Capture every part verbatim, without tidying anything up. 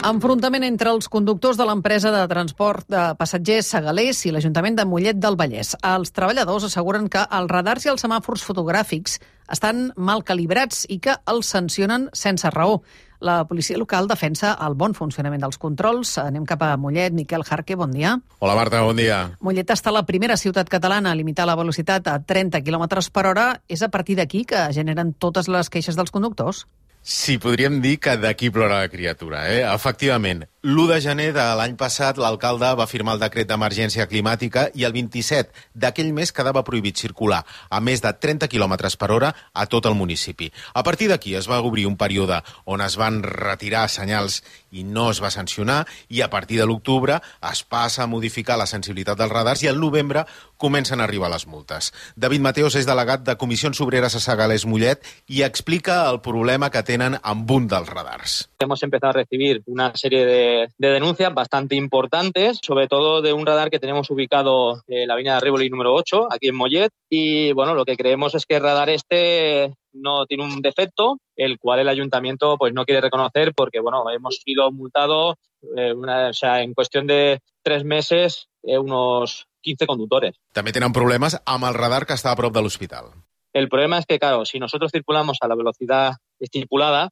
Enfrontament entre els conductors de l'empresa de transport de passatgers Segalers i l'Ajuntament de Mollet del Vallès. Els treballadors asseguren que els radars i els semàfors fotogràfics estan mal calibrats i que els sancionen sense raó. La policia local defensa el bon funcionament dels controls. Anem cap a Mollet. Miquel Jarque, bon dia. Hola Marta, bon dia. Mollet està la primera ciutat catalana a limitar la velocitat a trenta quilòmetres per hora. És a partir d'aquí que generen totes les queixes dels conductors? Sí, podríem dir que d'aquí plora la criatura, eh? Efectivament, l'u de gener de l'any passat l'alcalde va firmar el decret d'emergència climàtica i el vint-i-set d'aquell mes quedava prohibit circular a més de trenta quilòmetres per hora a tot el municipi. A partir d'aquí es va obrir un període on es van retirar senyals i no es va sancionar, i a partir de l'octubre es passa a modificar la sensibilitat dels radars i al novembre comencen a arribar les multes. David Mateos és delegat de Comissions Obreres a Segalers Mollet i explica el problema que tenen amb un dels radars. Hemos empezado a recibir una serie de, de denuncias bastante importantes, sobre todo de un radar que tenemos ubicado en la avenida de Rivoli número ocho, aquí en Mollet, y bueno, lo que creemos es que el radar este no tiene un defecto, el cual el ayuntamiento pues no quiere reconocer porque bueno, hemos sido multados eh, una, o sea, en cuestión de tres meses eh, unos quince conductores. També tenen problemes amb el radar que està a prop de l'hospital. El problema es que, claro, si nosotros circulamos a la velocidad estipulada,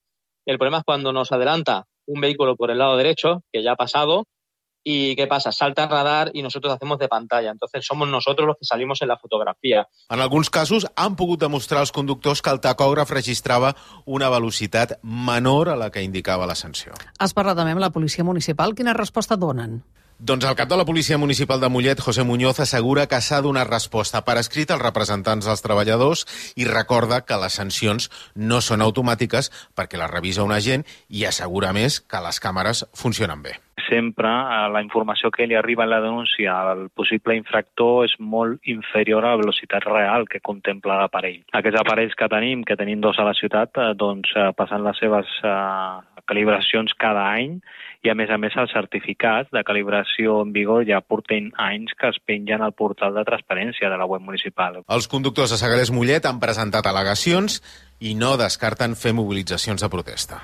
el problema es cuando nos adelanta un vehículo por el lado derecho, que ya ha pasado, y ¿qué pasa? Salta el radar y nosotros hacemos de pantalla. Entonces somos nosotros los que salimos en la fotografía. En alguns casos han pogut demostrar als conductors que el tacògraf registrava una velocitat menor a la que indicava la sanció. Has parlat també amb la policia municipal. Quina resposta donen? Doncs el cap de la Policia Municipal de Mollet, José Muñoz, assegura que s'ha donat resposta per escrit als representants dels treballadors i recorda que les sancions no són automàtiques perquè les revisa un agent i assegura més que les càmeres funcionen bé. Sempre la informació que li arriba en la denúncia al possible infractor és molt inferior a la velocitat real que contempla l'aparell. Aquests aparells que tenim, que tenim dos a la ciutat, doncs passen les seves uh, calibracions cada any i a més a més els certificats de calibració en vigor ja porten anys que es pengen al portal de transparència de la web municipal. Els conductors de Segalers Mollet han presentat al·legacions i no descarten fer mobilitzacions de protesta.